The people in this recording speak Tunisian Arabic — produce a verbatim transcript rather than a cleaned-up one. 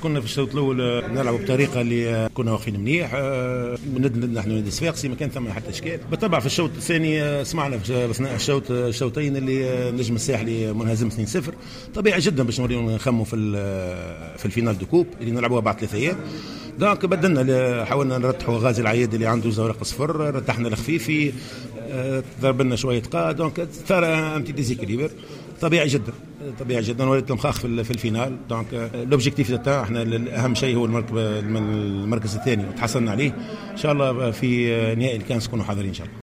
كنا في الشوط الاول نلعب بطريقة اللي كنا واقفين منيح ند نحن نادي صفاقسي، ما كان ثم حتى اشكال. بالطبع في الشوط الثاني سمعنا في اثناء الشوط الشوطين اللي النجم الساحلي منهزم اثنين صفر، طبيعي جدا باش نوليو نخموا في في ال finale de coupe اللي نلعبوها بعد ثلاثة ايام. donc بدلنا، حاولنا نرتحوا غازي العياد اللي عنده زورق صفر، رتحنا الخفيفي، ضرب لنا شوية قا، donc صار un petit déséquilibre طبيعي جدا، طبيعي جدا، ولات المخاخ في, في ال finale. donc l'objectif تاع احنا اهم شيء هو المركز الثاني وتحصلنا عليه. ان شاء الله في نهائي الكاس نكونوا حاضرين ان شاء الله.